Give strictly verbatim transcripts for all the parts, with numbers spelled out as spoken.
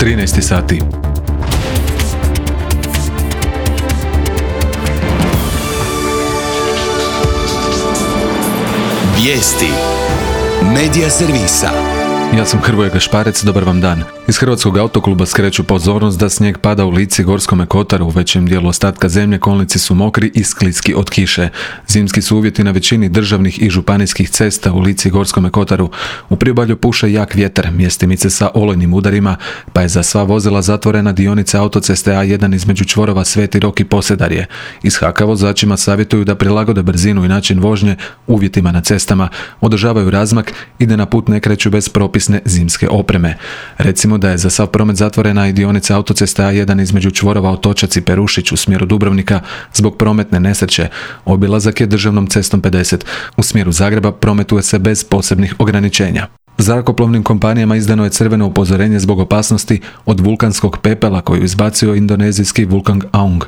trinaest sati. Vijesti Medija servisa. Ja sam Hrvoje Gašparec, dobar vam dan. Iz Hrvatskog autokluba skreću pozornost da snijeg pada u Lici i Gorskome Kotaru. U većem dijelu ostatka zemlje kolnici su mokri i skliski od kiše. Zimski su uvjeti na većini državnih i županijskih cesta u Lici i Gorskome Kotaru. U priobalju puše jak vjetar, mjestimice sa olujnim udarima, pa je za sva vozila zatvorena dionica autoceste A jedan između čvorova Sveti Rok i Posedarje. Iz Haka vozačima savjetuju da prilagode brzinu i način vožnje uvjetima na cestama, održavaju razmak i da na put ne kreću bez propisne zimske opreme. Recimo da je za sav promet zatvorena i dionica autoceste A jedan između čvorova Otočac i Perušić u smjeru Dubrovnika zbog prometne nesreće. Obilazak je državnom cestom pedeset. U smjeru Zagreba prometuje se bez posebnih ograničenja. Zrakoplovnim kompanijama izdano je crveno upozorenje zbog opasnosti od vulkanskog pepela koju izbacio indonezijski vulkan Aung.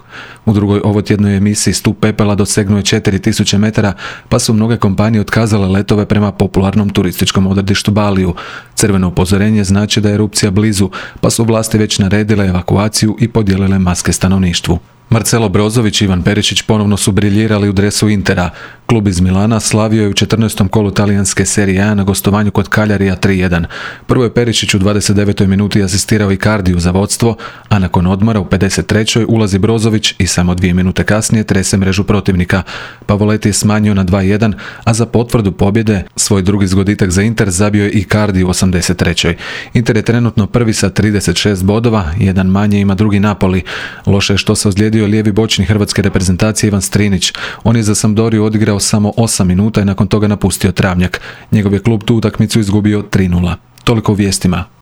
U drugoj ovotjednoj emisiji stup pepela dosegnuo je četiri tisuće metara, pa su mnoge kompanije otkazale letove prema popularnom turističkom odredištu Baliju. Crveno upozorenje znači da je erupcija blizu, pa su vlasti već naredile evakuaciju i podijelile maske stanovništvu. Marcelo Brozović i Ivan Perišić ponovno su briljirali u dresu Intera. Klub iz Milana slavio je u četrnaestom kolu talijanske serije A na gostovanju kod Kaljarija tri jedan. Prvo je Perišić u dvadeset devetoj minuti asistirao Icardiju za vodstvo, a nakon odmora u pedeset trećoj ulazi Brozović i samo dvije minute kasnije trese mrežu protivnika. Pavoletti je smanjio na dva jedan, a za potvrdu pobjede svoj drugi zgoditak za Inter zabio je Icardi u osamdeset trećoj. Inter je trenutno prvi sa trideset šest bodova, jedan manje ima drugi Napoli. Loše je što se ozlijedio lijevi bočni hrvatske reprezentacije Ivan Strinić. On je za Sampdoriju odigrao samo osam minuta i nakon toga napustio travnjak. Njegov je klub tu utakmicu izgubio tri nula. Toliko u vijestima.